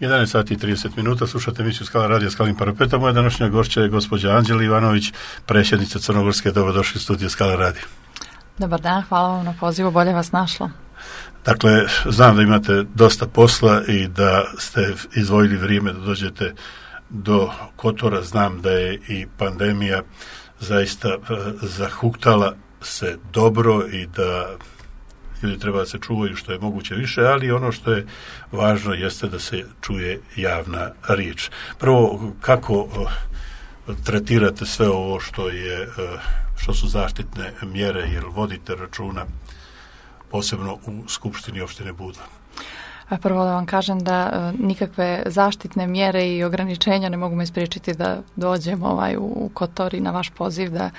11 sati i 30 minuta, slušate emisiju Skala radija Skalin parapeta. Moja današnja gošća je gospođa Anđela Ivanović, predsjednica Crnogorske. Dobrodošli u studiju Skala radija. Dobar dan, hvala vam na pozivu, bolje vas našlo. Dakle, znam da imate dosta posla i da ste izdvojili vrijeme da dođete do Kotora. Znam da je i pandemija zaista zahuktala se dobro i da ljudi treba da se čuvaju što je moguće više, ali ono što je važno jeste da se čuje javna riječ. Prvo, kako tretirate sve ovo što su zaštitne mjere, jer vodite računa posebno u Skupštini opštine Budva? Prvo da vam kažem da nikakve zaštitne mjere i ograničenja ne mogu me spriječiti da dođem u Kotor i na vaš poziv da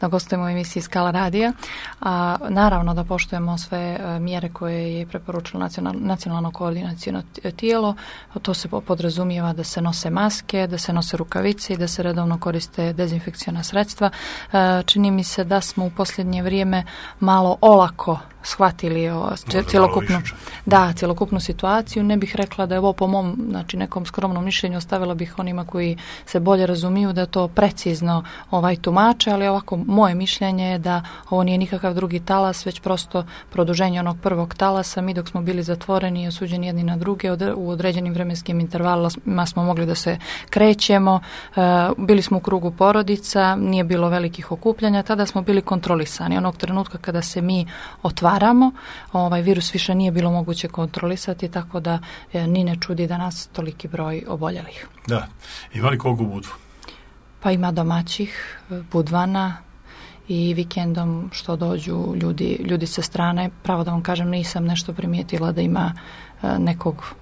gostujemo u emisiji Skala radija. A naravno da poštujemo sve mjere koje je preporučilo nacionalno koordinacijno tijelo. To se podrazumijeva da se nose maske, da se nose rukavice i da se redovno koriste dezinfekciona sredstva. Čini mi se da smo u posljednje vrijeme malo olako shvatili cjelokupnu situaciju. Ne bih rekla da je ovo po mom nekom skromnom mišljenju, ostavila bih onima koji se bolje razumiju da to precizno tumače, ali ovako moje mišljenje je da ovo nije nikakav drugi talas, već prosto produženje onog prvog talasa. Mi dok smo bili zatvoreni i osuđeni jedni na druge, u određenim vremenskim intervalima smo mogli da se krećemo, bili smo u krugu porodica, nije bilo velikih okupljanja, tada smo bili kontrolisani. Onog trenutka kada se mi otvaramo, virus više nije bilo moguće kontrolisati, tako da ni ne čudi da nas toliki broj oboljelih. Da. Ima li koliko u Budvu? Pa ima domaćih, Budvana, i vikendom što dođu ljudi sa strane. Pravo da vam kažem, nisam nešto primijetila da ima nekog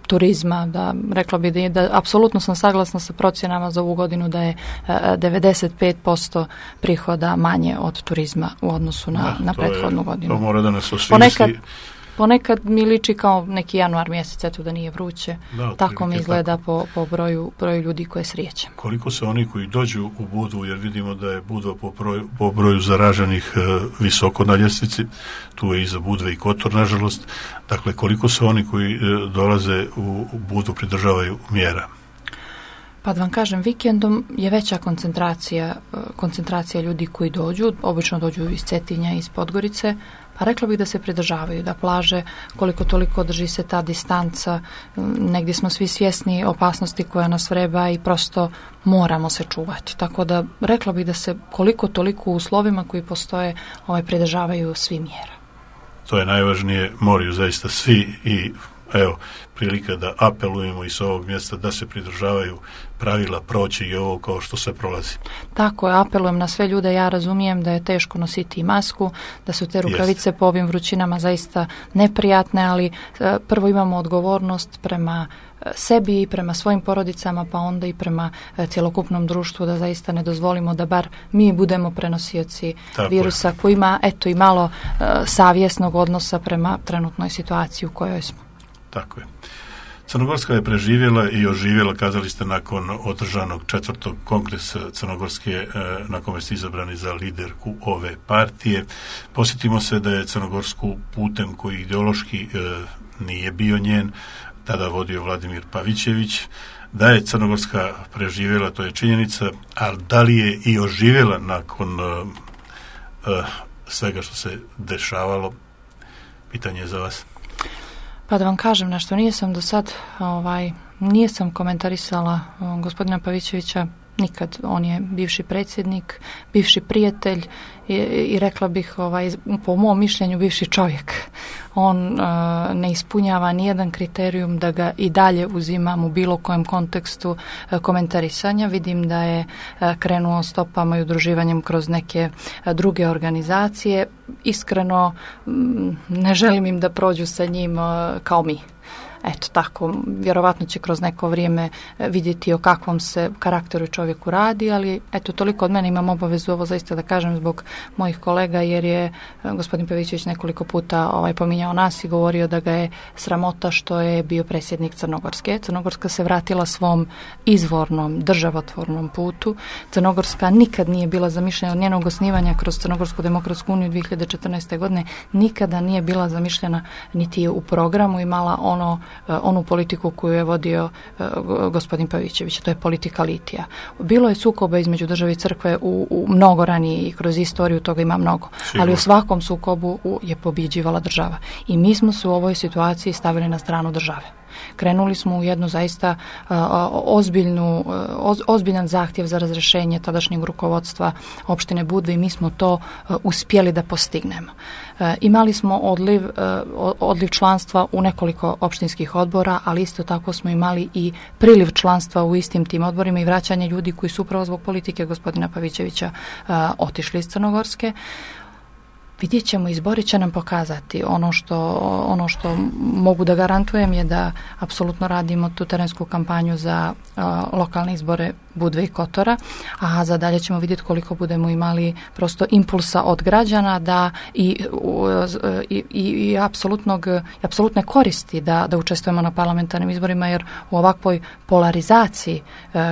turizma, da rekla bi da apsolutno sam saglasna sa procjenama za ovu godinu da je 95% prihoda manje od turizma u odnosu na prethodnu godinu. To mora da nas osvijesti. Ponekad mi liči kao neki januar mjesec, eto da nije vruće. Tako mi izgleda po broju ljudi koje srijećem. Koliko se oni koji dođu u Budvu, jer vidimo da je Budva po broju zaraženih visoko na ljestvici, tu je iza Budve i Kotor, nažalost. Dakle, koliko se oni koji dolaze u Budvu pridržavaju mjera? Pa da vam kažem, vikendom je veća koncentracija ljudi koji dođu, obično dođu iz Cetinja i iz Podgorice, pa rekla bih da se pridržavaju, da plaže koliko toliko drži se ta distanca, negdje smo svi svjesni opasnosti koja nas vreba i prosto moramo se čuvati. Tako da rekla bih da se koliko toliko u uslovima koji postoje pridržavaju svi mjera. To je najvažnije, moraju zaista svi i evo, prilika da apelujemo i s ovog mjesta da se pridržavaju pravila, proći i ovo kao što se prolazi. Tako je, apelujem na sve ljude, ja razumijem da je teško nositi i masku, da su te rukavice po ovim vrućinama zaista neprijatne, ali prvo imamo odgovornost prema sebi i prema svojim porodicama, pa onda i prema cjelokupnom društvu, da zaista ne dozvolimo da bar mi budemo prenosioci virusa koji ima i malo savjesnog odnosa prema trenutnoj situaciji u kojoj smo. Tako je. Crnogorska je preživjela i oživjela, kazali ste, nakon održanog 4. kongresa Crnogorske, na kome ste izabrani za liderku ove partije. Posjetimo se da je Crnogorsku putem koji ideološki nije bio njen, tada vodio Vladimir Pavićević. Da je Crnogorska preživjela, to je činjenica, ali da li je i oživjela nakon svega što se dešavalo? Pitanje je za vas. Pa da vam kažem nešto, nisam do sad, nisam komentarisala gospodina Pavićevića nikad. On je bivši predsjednik, bivši prijatelj i rekla bih, po mom mišljenju, bivši čovjek. On ne ispunjava nijedan kriterijum da ga i dalje uzimam u bilo kojem kontekstu komentarisanja. Vidim da je krenuo stopama i udruživanjem kroz neke druge organizacije. Iskreno ne želim im da prođu sa njim kao mi. Eto tako, vjerovatno će kroz neko vrijeme vidjeti o kakvom se karakteru čovjeku radi, ali eto, toliko od mene, imam obavezu ovo zaista da kažem zbog mojih kolega, jer je gospodin Pavićević nekoliko puta pominjao nas i govorio da ga je sramota što je bio predsjednik Crnogorske. Crnogorska se vratila svom izvornom, državotvornom putu. Crnogorska nikad nije bila zamišljena od njenog osnivanja kroz Crnogorsku demokratsku uniju 2014. godine, nikada nije bila zamišljena niti je u programu imala ono onu politiku koju je vodio gospodin Pavićević, to je politika litija. Bilo je sukoba između države i crkve u mnogo ranije i kroz istoriju toga ima mnogo, ali u svakom sukobu je pobjeđivala država. I mi smo se u ovoj situaciji stavili na stranu države. Krenuli smo u jednu zaista ozbiljan zahtjev za razrješenje tadašnjeg rukovodstva opštine Budve i mi smo to uspjeli da postignemo. Imali smo odliv članstva u nekoliko opštinskih odbora, ali isto tako smo imali i priliv članstva u istim tim odborima i vraćanje ljudi koji su upravo zbog politike gospodina Pavićevića otišli iz Crnogorske. Vidjet ćemo, izbori će nam pokazati. Ono što mogu da garantujem je da apsolutno radimo tu terensku kampanju za lokalne izbore Budve i Kotora, a za dalje ćemo vidjeti koliko budemo imali prosto impulsa od građana da i apsolutne koristi da učestvujemo na parlamentarnim izborima, jer u ovakvoj polarizaciji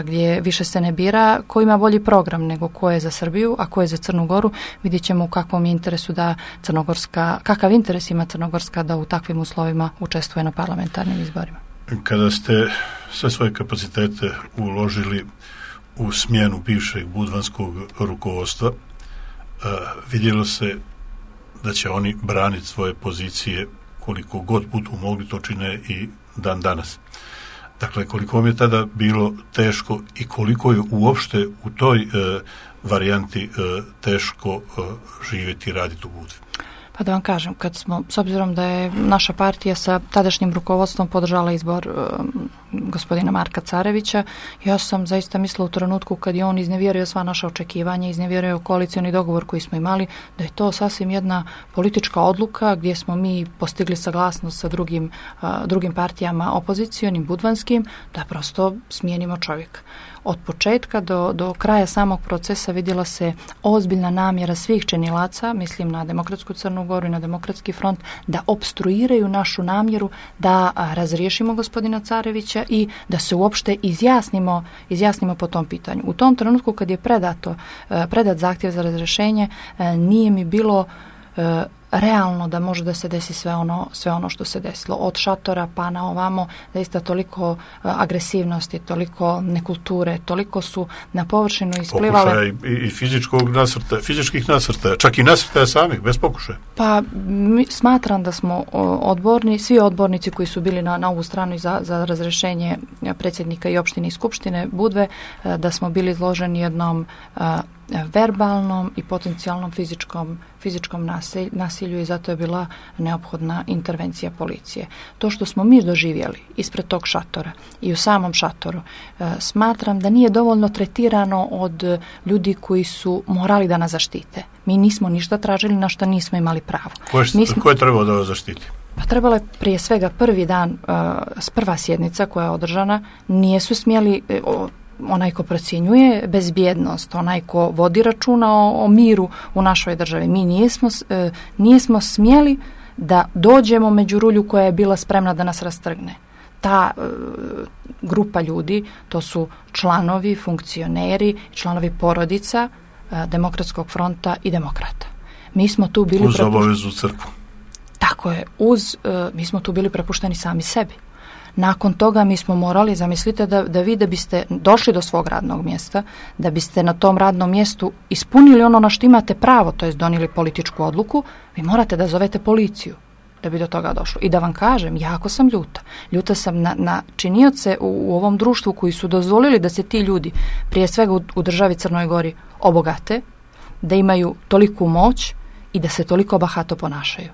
gdje više se ne bira ko ima bolji program nego ko je za Srbiju, a ko je za Crnu Goru, vidjet ćemo u kakvom interesu kakav interes ima Crnogorska da u takvim uslovima učestvuje na parlamentarnim izborima. Kada ste sve svoje kapacitete uložili u smjenu bivšeg budvanskog rukovodstva, vidjelo se da će oni braniti svoje pozicije koliko god budu mogli, to čine i dan danas. Dakle, koliko vam je tada bilo teško i koliko je uopšte u toj varijanti teško živjeti i raditi u Budvi? Pa da vam kažem, s obzirom da je naša partija sa tadašnjim rukovodstvom podržala izbor gospodina Marka Carevića, ja sam zaista mislila u trenutku kad je on iznevjerio sva naša očekivanja, iznevjerio koalicioni dogovor koji smo imali, da je to sasvim jedna politička odluka gdje smo mi postigli saglasnost sa drugim partijama opozicijonim, budvanskim, da prosto smijenimo čovjeka. Od početka do kraja samog procesa vidjela se ozbiljna namjera svih činilaca, mislim na Demokratsku Crnu Goru i na Demokratski front, da opstruiraju našu namjeru da razriješimo gospodina Carevića i da se uopšte izjasnimo po tom pitanju. U tom trenutku kad je predat zahtjev za razrješenje, nije mi bilo realno da može da se desi sve ono što se desilo. Od šatora pa na ovamo, zaista toliko agresivnosti, toliko nekulture, toliko su na površinu isplivale. Pokušaja i fizičkih nasrtaja, čak i nasrtaja samih, bez pokušaja. Pa smatram da smo svi odbornici koji su bili na ovu stranu za razrješenje predsjednika i opštine i skupštine Budve, da smo bili izloženi jednom verbalnom i potencijalnom fizičkom nasilju i zato je bila neophodna intervencija policije. To što smo mi doživjeli ispred tog šatora i u samom šatoru, smatram da nije dovoljno tretirano od ljudi koji su morali da nas zaštite. Mi nismo ništa tražili na što nismo imali pravo. Ko je trebao da vas zaštiti? Pa trebalo je prije svega prvi dan, prva sjednica koja je održana, nisu smjeli onaj ko procjenjuje bezbjednost, onaj ko vodi računa o miru u našoj državi. Mi nismo smjeli da dođemo među rulju koja je bila spremna da nas rastrgne. Ta grupa ljudi, to su članovi, funkcioneri, članovi porodica Demokratskog fronta i demokrata. Mi smo tu bili uz obavezu crkvu. Tako je, mi smo tu bili prepušteni sami sebi. Nakon toga mi smo morali, zamislite da biste došli do svog radnog mjesta, da biste na tom radnom mjestu ispunili ono na što imate pravo, to jest donijeli političku odluku, vi morate da zovete policiju da bi do toga došlo. I da vam kažem, jako sam ljuta. Ljuta sam na činioce u ovom društvu koji su dozvolili da se ti ljudi, prije svega u državi Crnoj Gori, obogate, da imaju toliku moć i da se toliko bahato ponašaju.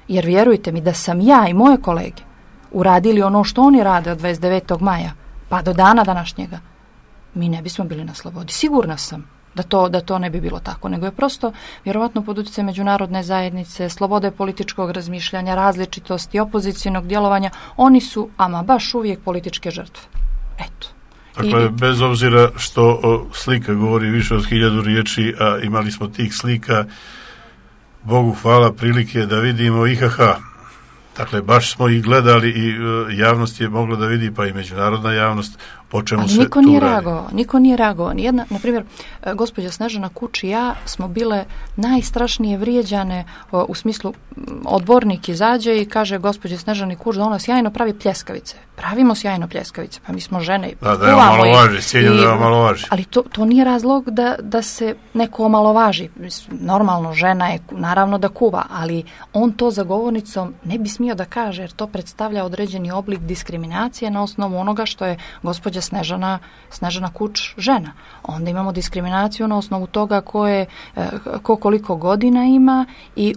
Jer vjerujte mi da sam ja i moje kolege uradili ono što oni rade od 29. maja pa do dana današnjega, mi ne bismo bili na slobodi. Sigurna sam da to ne bi bilo tako, nego je prosto vjerovatno pod utjecajem međunarodne zajednice, slobode političkog razmišljanja, različitosti, opozicijnog djelovanja, oni su ama baš uvijek političke žrtve. Eto. Dakle, bez obzira što slika govori više od 1000 riječi, a imali smo tih slika, Bogu hvala, prilike da vidimo IHH Dakle, baš smo ih gledali i javnost je mogla da vidi, pa i međunarodna javnost, o čemu ali se niko tu nije radi. reagovao. Niko nije reagovao. Nijedna, na primjer, gospođa Snežana Kuč i ja smo bile najstrašnije vrijeđane u smislu odbornik izađe i kaže gospođe Snežani Kuč da ona sjajno pravi pljeskavice. Pravimo sjajno pljeskavice, pa mi smo žene. Da je omalovaži, cijenim da je omalovaži. Ali to nije razlog da se neko omalovaži. Normalno, žena je, naravno da kuva, ali on to za govornicom ne bi smio da kaže, jer to predstavlja određeni oblik diskriminacije na osnovu onoga što je gospođa Snežana Kuč žena. Onda imamo diskriminaciju na osnovu toga ko koliko godina ima i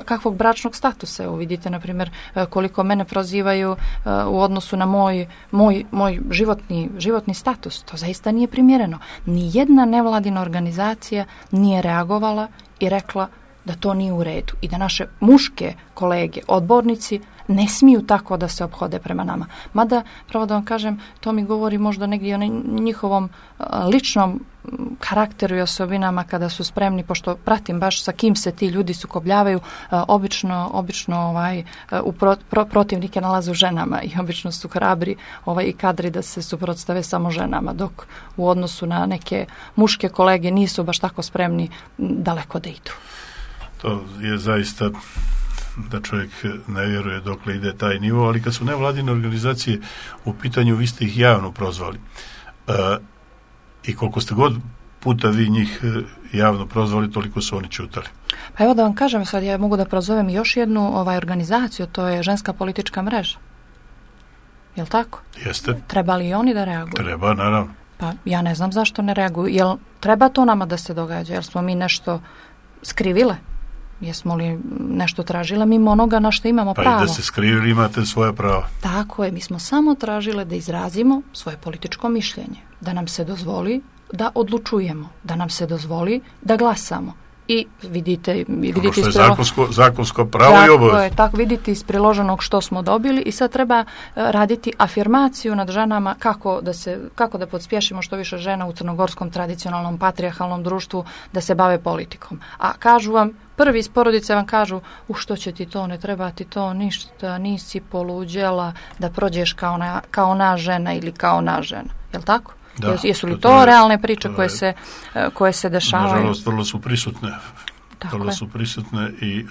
kakvog bračnog statusa. Evo vidite, na primjer, koliko mene prozivaju u odnosu na moj životni status. To zaista nije primjereno. Nijedna nevladina organizacija nije reagovala i rekla da to nije u redu i da naše muške kolege, odbornici, ne smiju tako da se ophode prema nama. Mada, pravo da vam kažem, to mi govori možda negdje o njihovom ličnom karakteru i osobinama kada su spremni, pošto pratim baš sa kim se ti ljudi sukobljavaju, obično protivnike nalaze u ženama i obično su hrabri i kadri da se suprotstave samo ženama, dok u odnosu na neke muške kolege nisu baš tako spremni daleko da idu. To je zaista da čovjek ne vjeruje dokle ide taj nivo, ali kad su nevladine organizacije u pitanju, vi ste ih javno prozvali. I koliko ste god puta vi njih javno prozvali, toliko su oni čutali. Pa evo da vam kažem, sad ja mogu da prozovem još jednu organizaciju, to je Ženska politička mreža. Jel' tako? Jeste. Treba li i oni da reaguju? Treba, naravno. Pa ja ne znam zašto ne reaguju. Jel treba to nama da se događa? Jel smo mi nešto skrivile? Jesmo li nešto tražile mimo onoga na što imamo pravo? Pa i da se skrivili imate svoje pravo. Tako je, mi smo samo tražile da izrazimo svoje političko mišljenje, da nam se dozvoli da odlučujemo, da nam se dozvoli da glasamo. I vidite ono što je zakonsko pravo i obavez. Tako vidite iz priloženog što smo dobili i sad treba raditi afirmaciju nad ženama kako da podspješimo što više žena u crnogorskom tradicionalnom patrijarhalnom društvu da se bave politikom. A kažu vam, prvi iz porodice vam kažu, što će ti to, ne treba ti to ništa, nisi poluđela da prođeš kao ona žena ili kao ona žena. Jel' tako? Da, jesu li to realne priče koje se dešavaju? Nažalost, vrlo su prisutne i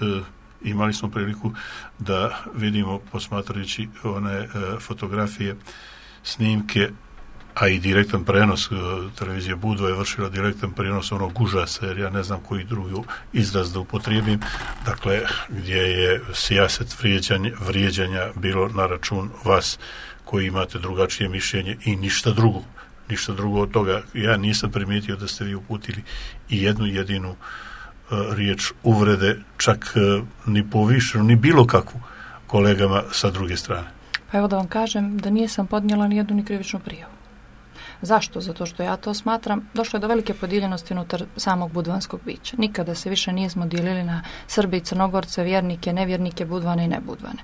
imali smo priliku da vidimo, posmatrajući one fotografije, snimke, a i direktan prenos, televizija Budva je vršila direktan prenos onog užasa, jer ja ne znam koji drugi izraz da upotrijebim, dakle, gdje je sijaset vrijeđanja bilo na račun vas koji imate drugačije mišljenje i ništa drugo od toga. Ja nisam primijetio da ste vi uputili i jednu jedinu riječ uvrede, čak ni povišenu, ni bilo kakvu kolegama sa druge strane. Pa evo da vam kažem da nisam podnijela ni jednu ni krivičnu prijavu. Zašto? Zato što ja to smatram, došlo je do velike podijeljenosti unutar samog budvanskog bića. Nikada se više nismo dijelili na Srbe i Crnogorce, vjernike, nevjernike, budvane i nebudvane.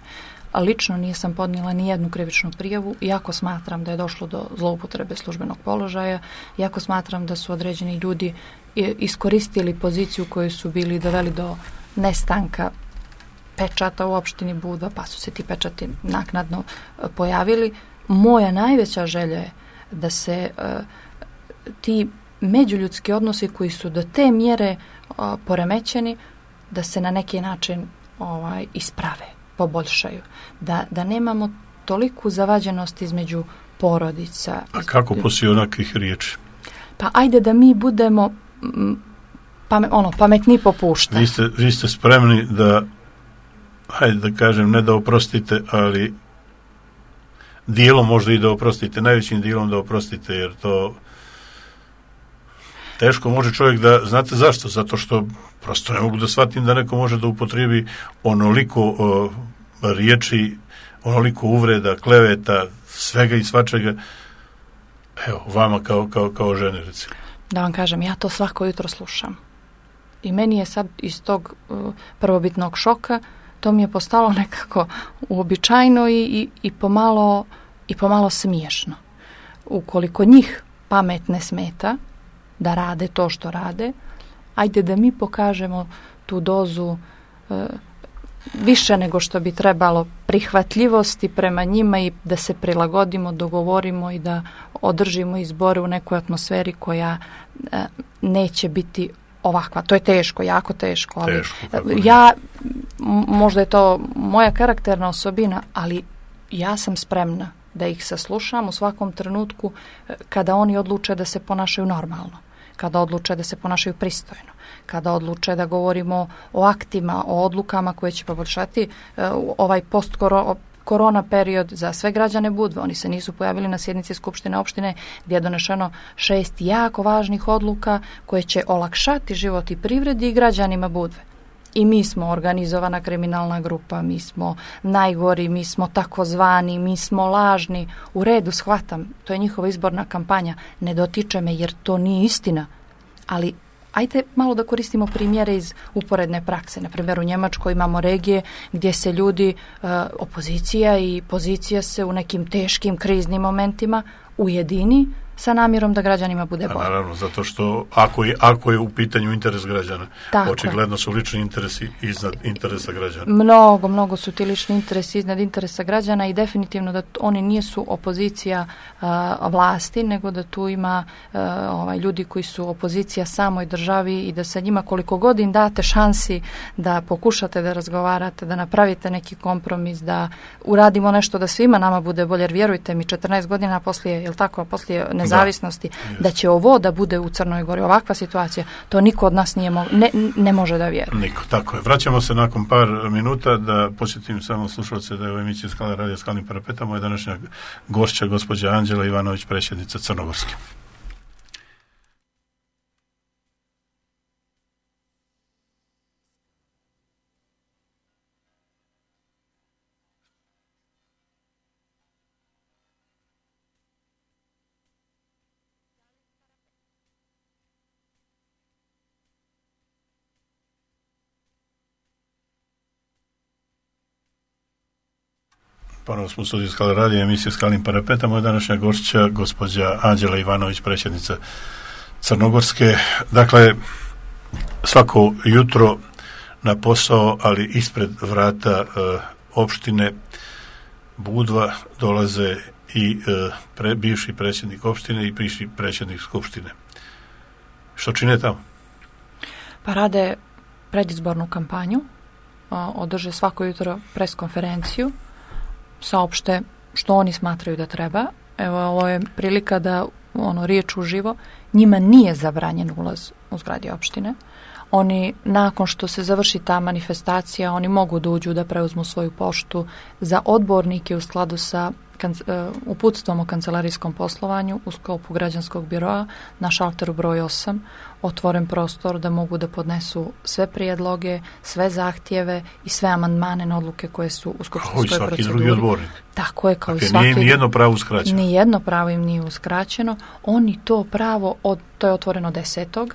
A lično nisam podnijela ni jednu krivičnu prijavu, iako smatram da je došlo do zloupotrebe službenog položaja, iako smatram da su određeni ljudi iskoristili poziciju koju su bili doveli do nestanka pečata u opštini Budva, pa su se ti pečati naknadno pojavili. Moja najveća želja je da se ti međuljudski odnosi koji su do te mjere poremećeni, da se na neki način isprave, poboljšaju. Da nemamo toliku zavađenost između porodica. A kako poslije onakvih riječi? Pa ajde da mi budemo pametni popušta. Vi ste spremni da, hajde da kažem, ne da oprostite, ali dijelom možda i da oprostite, najvećim dijelom da oprostite, jer to teško može čovjek da, znate zašto? Zato što prosto ne mogu da shvatim da neko može da upotrijebi onoliko riječi, onoliko uvreda, kleveta, svega i svačega, evo, vama kao žene, recimo. Da vam kažem, ja to svako jutro slušam. I meni je sad iz tog prvobitnog šoka to mi je postalo nekako uobičajeno i pomalo smiješno. Ukoliko njih pamet ne smeta da rade to što rade, ajde da mi pokažemo tu dozu više nego što bi trebalo prihvatljivosti prema njima i da se prilagodimo, dogovorimo i da održimo izbore u nekoj atmosferi koja neće biti ovakva. To je teško, jako teško. Ali možda je to moja karakterna osobina, ali ja sam spremna da ih saslušam u svakom trenutku kada oni odluče da se ponašaju normalno, kada odluče da se ponašaju pristojno, kada odluče da govorimo o aktima, o odlukama koje će poboljšati ovaj post-korona period za sve građane Budve. Oni se nisu pojavili na sjednici Skupštine opštine gdje je donešeno 6 jako važnih odluka koje će olakšati život i privredi i građanima Budve. I mi smo organizovana kriminalna grupa, mi smo najgori, mi smo takozvani, mi smo lažni. U redu, shvatam, to je njihova izborna kampanja. Ne dotiče me jer to nije istina. Ali ajde malo da koristimo primjere iz uporedne prakse. Na primjer, u Njemačkoj imamo regije gdje se ljudi, opozicija i pozicija se u nekim teškim kriznim momentima ujedini sa namjerom da građanima bude bolje. Naravno, zato što ako je u pitanju interes građana, očigledno su lični interesi iznad interesa građana. Mnogo su ti lični interesi iznad interesa građana i definitivno da oni nisu opozicija vlasti, nego da tu ima ljudi koji su opozicija samoj državi i da sa njima koliko god im date šansi da pokušate da razgovarate, da napravite neki kompromis, da uradimo nešto da svima nama bude bolje, jer vjerujte mi, 14 godina poslije nezavisnosti, da će ovo da bude u Crnoj Gori, ovakva situacija, to niko od nas ne može da vjeruje. Niko, tako je. Vraćamo se nakon par minuta da posjetim samo slušalce da je u emisiji Skala radija Skalnim parapetama je današnja gošća gospođa Anđela Ivanović, predsjednica Crnogorske. Ponovno smo u studiju Skala radija, emisije Skalnim parapetama, je današnja gošća gospođa Anđela Ivanović, predsjednica Crnogorske. Dakle, svako jutro na posao, ali ispred vrata opštine Budva dolaze i bivši predsjednik opštine i bivši predsjednik skupštine. Što čine tamo? Pa rade predizbornu kampanju, održe svako jutro pres konferenciju, saopšte što oni smatraju da treba. Evo, ovo je prilika da riječ uživo. Njima nije zabranjen ulaz u zgradi opštine. Oni, nakon što se završi ta manifestacija, oni mogu da uđu da preuzmu svoju poštu za odbornike u skladu sa uputstvom o kancelarijskom poslovanju u sklopu građanskog biroa na šalteru broj 8, otvoren prostor da mogu da podnesu sve prijedloge, sve zahtjeve i sve amandmane na odluke koje su u skupštinskoj proceduri. Svaki drugi odbornik. Tako je, kao i svaki. Nije nijedno pravo uskraćeno. Nijedno pravo im nije uskraćeno. Oni to pravo, to je otvoreno 10.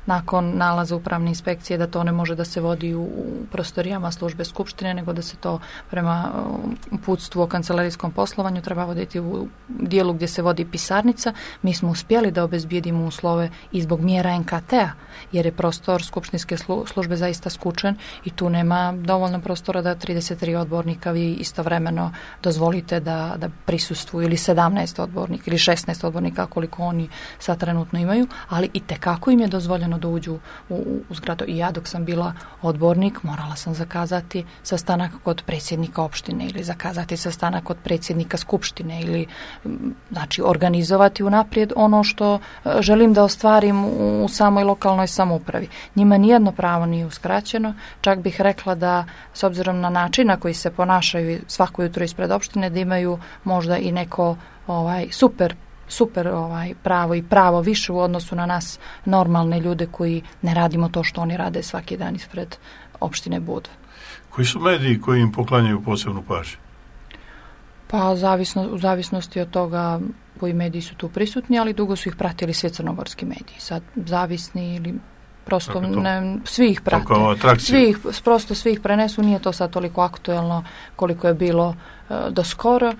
nakon nalaza upravne inspekcije da to ne može da se vodi u prostorijama službe skupštine, nego da se to prema uputstvu o kancelarijskom poslovanju treba voditi u dijelu gdje se vodi pisarnica. Mi smo uspjeli da obezbijedimo uslove i zbog mjera NKT-a, jer je prostor skupštinske službe zaista skučen i tu nema dovoljno prostora da 33 odbornika vi istovremeno dozvolite da prisustvuju, ili 17 odbornika ili 16 odbornika koliko oni sad trenutno imaju, ali i tekako im je dozvoljeno da uđu u zgradu. I ja dok sam bila odbornik morala sam zakazati sastanak kod predsjednika opštine ili zakazati sastanak kod predsjednika skupštine ili znači organizovati unaprijed ono što želim da ostvarim u samoj lokalnoj samoupravi. Njima nijedno pravo nije uskraćeno, čak bih rekla da s obzirom na način na koji se ponašaju svako jutro ispred opštine da imaju možda i neko super pravo i pravo više u odnosu na nas normalne ljude koji ne radimo to što oni rade svaki dan ispred opštine Budva. Koji su mediji koji im poklanjaju posebnu pažnju? Pa u zavisnosti od toga koji mediji su tu prisutni, ali dugo su ih pratili svi crnogorski mediji. Sad zavisni ili prosto svi ih prate. Svi ih prenesu, nije to sad toliko aktuelno koliko je bilo do skoro,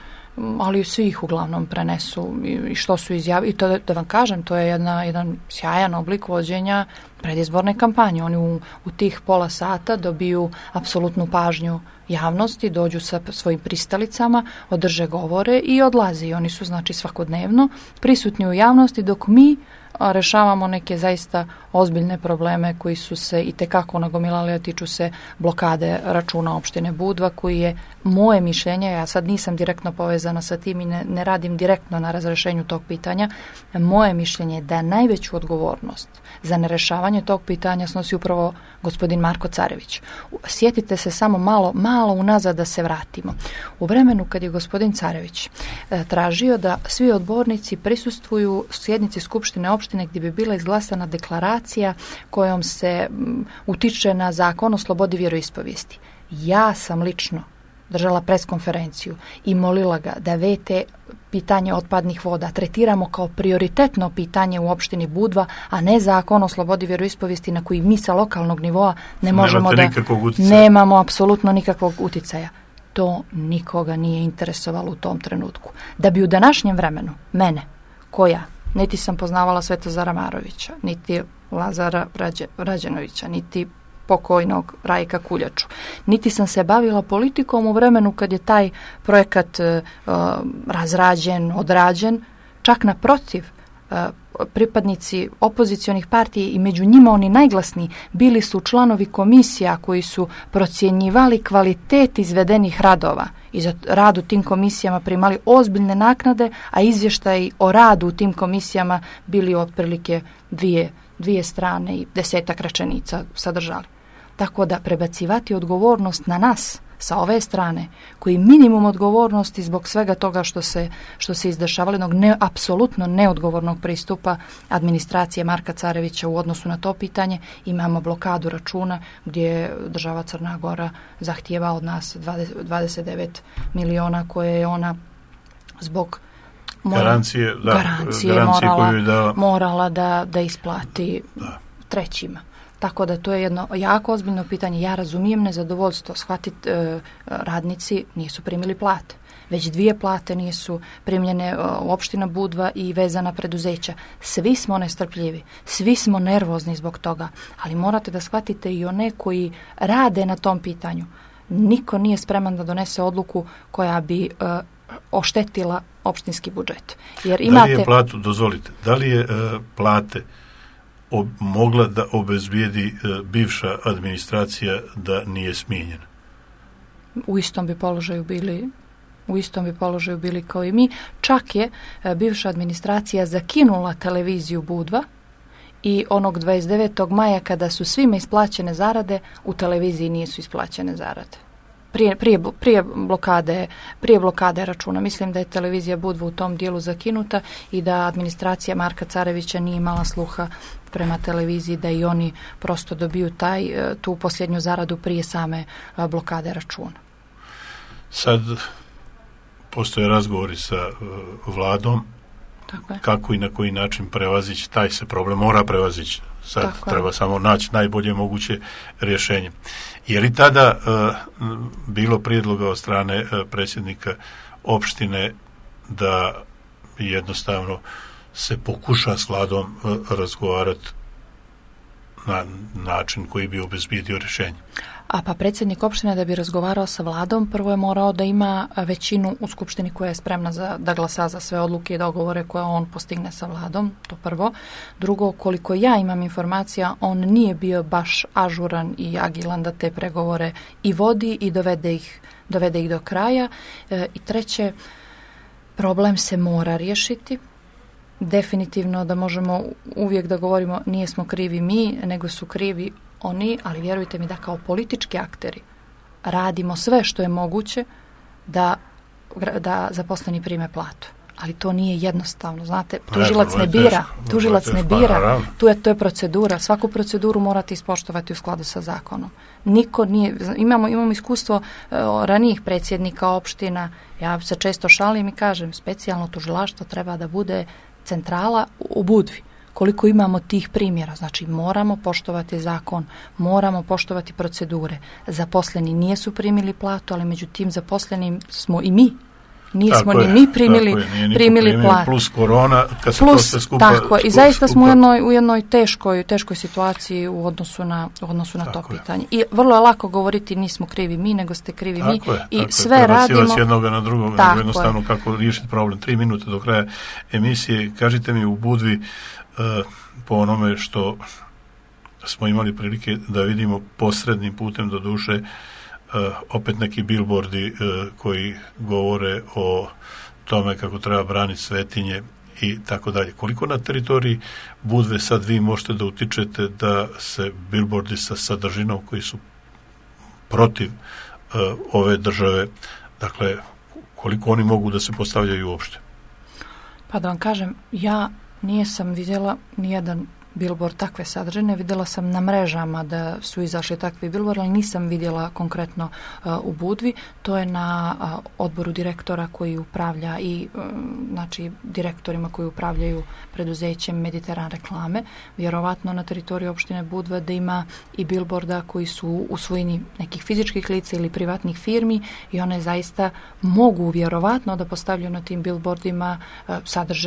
ali svi ih uglavnom prenesu i što su izjavili. I to da vam kažem, to je jedan sjajan oblik vođenja predizborne kampanje. Oni u tih pola sata dobiju apsolutnu pažnju javnosti, dođu sa svojim pristalicama, održe govore i odlaze. I oni su znači svakodnevno prisutni u javnosti dok mi rešavamo neke zaista ozbiljne probleme koji su se itekako nagomilali, a tiču se blokade računa opštine Budva, koji je moje mišljenje, ja sad nisam direktno povezana sa tim i ne radim direktno na razrešenju tog pitanja, moje mišljenje je da najveću odgovornost za nerešavanje tog pitanja snosi upravo gospodin Marko Carević. Sjetite se samo malo unazad da se vratimo. U vremenu kad je gospodin Carević tražio da svi odbornici prisustvuju sjednici Skupštine opštine gdje bi bila izglasana deklaracija kojom se utiče na zakon o slobodi vjeroispovijesti. Ja sam lično držala preskonferenciju i molila ga da VT pitanje otpadnih voda tretiramo kao prioritetno pitanje u opštini Budva, a ne zakon o slobodi vjeroispovijesti na koji mi sa lokalnog nivoa nemamo apsolutno nikakvog uticaja. To nikoga nije interesovalo u tom trenutku. Da bi u današnjem vremenu mene, koja niti sam poznavala Svetozara Marovića, niti Lazara Rađenovića, niti pokojnog Rajka Kuljaču. Niti sam se bavila politikom u vremenu kad je taj projekat razrađen, odrađen, čak naprotiv, pripadnici opozicionih partija i među njima oni najglasniji bili su članovi komisija koji su procjenjivali kvalitet izvedenih radova i za rad u tim komisijama primali ozbiljne naknade, a izvještaji o radu u tim komisijama bili otprilike dvije strane i 10 rečenica sadržali. Tako da prebacivati odgovornost na nas sa ove strane, koji minimum odgovornosti zbog svega toga što se izdešavalo, apsolutno neodgovornog pristupa administracije Marka Carevića u odnosu na to pitanje, imamo blokadu računa gdje država Crna Gora zahtijeva od nas 29 miliona koje je ona zbog garancije morala da isplati trećima. Tako da to je jedno jako ozbiljno pitanje. Ja razumijem nezadovoljstvo. Shvatiti radnici nisu primili plate. Već 2 plate nisu primljene u opština Budva i vezana preduzeća. Svi smo nestrpljivi, svi smo nervozni zbog toga, ali morate da shvatite i one koji rade na tom pitanju. Niko nije spreman da donese odluku koja bi oštetila opštinski budžet. Jer da li je platu, dozvolite, da li je plate mogla da obezbijedi bivša administracija da nije smijenjena? U istom bi položaju bili kao i mi. Čak je bivša administracija zakinula televiziju Budva i onog 29. maja kada su svima isplaćene zarade, u televiziji nisu isplaćene zarade. Prije blokade računa. Mislim da je televizija Budva u tom dijelu zakinuta i da administracija Marka Carevića nije imala sluha prema televiziji da i oni prosto dobiju tu posljednju zaradu prije same blokade računa. Sad postoje razgovori sa vladom. Kako i na koji način prevazići, taj se problem mora prevazići. Sad treba samo naći najbolje moguće rješenje. Je li tada bilo prijedloga od strane predsjednika opštine da jednostavno se pokuša s vladom razgovarati na način koji bi obezbijedio rješenje? Pa predsjednik opštine da bi razgovarao sa vladom, prvo je morao da ima većinu u skupštini koja je spremna da glasa za sve odluke i dogovore koje on postigne sa vladom, to prvo. Drugo, koliko ja imam informacija, on nije bio baš ažuran i agilan da te pregovore i vodi i dovede ih do kraja. I treće, problem se mora riješiti. Definitivno da možemo uvijek da govorimo nismo krivi mi, nego su krivi oni, ali vjerujte mi da kao politički akteri radimo sve što je moguće da zaposleni prime platu. Ali to nije jednostavno, znate, tužilac ne bira, to je procedura, svaku proceduru morate ispoštovati u skladu sa zakonom. Niko nije, imamo iskustvo ranijih predsjednika opština, ja se često šalim i kažem, specijalno tužilaštvo treba da bude centrala u Budvi. Koliko imamo tih primjera, znači moramo poštovati zakon, moramo poštovati procedure. Zaposleni nisu primili platu, ali među tim zaposlenim smo i mi. nismo ni mi primili platu. Plus korona, kad se to sve skupa... Tako, i zaista smo u jednoj teškoj situaciji u odnosu na to pitanje. I vrlo je lako govoriti nismo krivi mi, nego ste krivi mi. I sve radimo... Treba jednoga na drugog, nego jednostavno kako riješiti problem. 3 minute do kraja emisije. Kažite mi u Budvi, po onome što smo imali prilike da vidimo posrednim putem, do duše, opet neki billboardi koji govore o tome kako treba braniti svetinje i tako dalje. Koliko na teritoriji Budve sad vi možete da utičete da se billboardi sa sadržinom koji su protiv ove države, dakle, koliko oni mogu da se postavljaju uopšte? Pa da vam kažem, ja nisam vidjela nijedan billboard takve sadržine. Vidjela sam na mrežama da su izašli takvi billboard, ali nisam vidjela konkretno u Budvi. To je na odboru direktora koji upravlja i znači direktorima koji upravljaju preduzećem Mediteran reklame. Vjerovatno na teritoriju opštine Budva da ima i billboarda koji su u svojini nekih fizičkih lica ili privatnih firmi i one zaista mogu vjerovatno da postavljaju na tim billboardima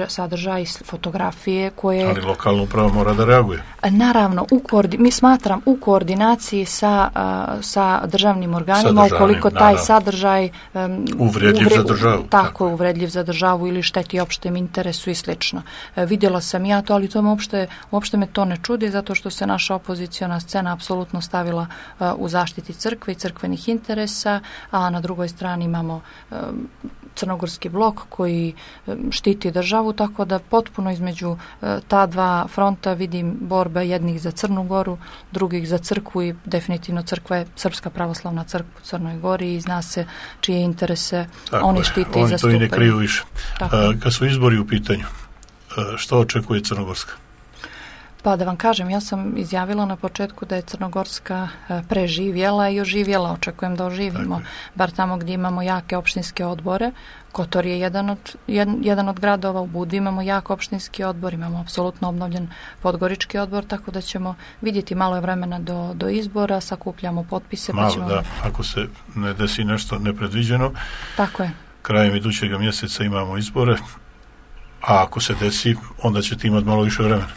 sadržaj, fotografije koje... Ali lokalna uprava mora da reaguje. Naravno, mi smatram u koordinaciji sa državnim organima, ukoliko taj sadržaj uvredljiv za državu. Tako je, uvredljiv za državu ili šteti opštem interesu i slično. Vidjela sam ja to, ali to me uopšte me to ne čudi, zato što se naša opoziciona scena apsolutno stavila u zaštiti crkve i crkvenih interesa, a na drugoj strani imamo crnogorski blok koji štiti državu, tako da potpuno između ta dva fronta vidim borbe jednih za Crnu Goru, drugih za crkvu i definitivno crkva je Srpska pravoslavna crkva u Crnoj Gori i zna se čije interese oni štite i zastupaju. Oni to i ne kriju više. Kad su izbori u pitanju, što očekuje Crnogorska? Pa da vam kažem, ja sam izjavila na početku da je Crnogorska preživjela i oživjela. Očekujem da oživimo, bar tamo gdje imamo jake opštinske odbore. Kotor je jedan od gradova, u Budvi imamo jak opštinski odbor, imamo apsolutno obnovljen podgorički odbor, tako da ćemo vidjeti, malo je vremena do izbora, sakupljamo potpise. Malo, da, ako se ne desi nešto nepredviđeno. Tako je. Krajem idućeg mjeseca imamo izbore, a ako se desi, onda ćete imati malo više vremena.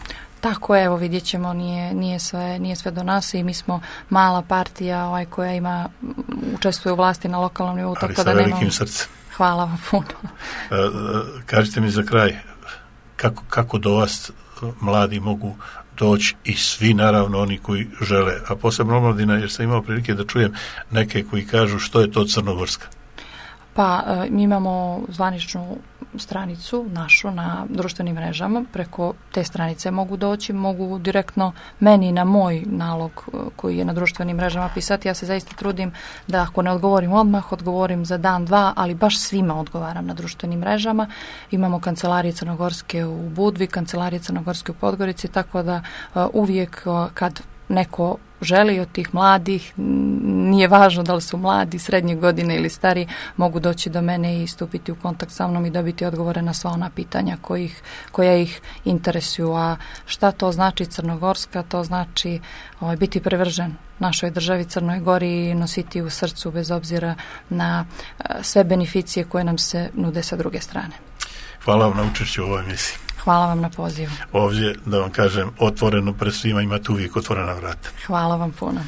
Tako je, evo vidjet ćemo, nije sve do nas i mi smo mala partija koja učestvuje u vlasti na lokalnom nivou. Ali sa velikim srcem. Hvala vam puno. Kažite mi za kraj, kako do vas mladi mogu doći i svi naravno oni koji žele, a posebno omladina, jer sam imao prilike da čujem neke koji kažu što je to Crnogorska. Pa mi imamo zvaničnu stranicu našu na društvenim mrežama, preko te stranice mogu doći, mogu direktno meni na moj nalog koji je na društvenim mrežama pisati. Ja se zaista trudim da ako ne odgovorim odmah, odgovorim za dan, dva, ali baš svima odgovaram na društvenim mrežama. Imamo kancelarije Crnogorske u Budvi, kancelarije Crnogorske u Podgorici, tako da uvijek kad neko želi od tih mladih, nije važno da li su mladi, srednje godine ili stari, mogu doći do mene i stupiti u kontakt sa mnom i dobiti odgovore na sva ona pitanja koja ih interesuju. A šta to znači Crnogorska? To znači biti privržen našoj državi Crnoj Gori i nositi u srcu bez obzira na sve beneficije koje nam se nude sa druge strane. Hvala vam na učešću u ovoj emisiji. Hvala vam na pozivu. Ovdje, da vam kažem, otvoreno pred svima, imate uvijek otvorena vrata. Hvala vam puno.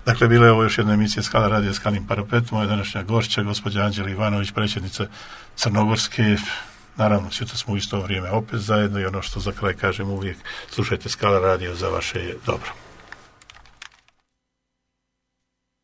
Dakle, bila je ovo još jedna emisija Skala radija Skalin parapet. Moja današnja gošća, gospođa Anđela Ivanović, predsjednica Crnogorske. Naravno, sutra smo u isto vrijeme opet zajedno i ono što za kraj kažem uvijek, slušajte Skala radio, za vaše je dobro.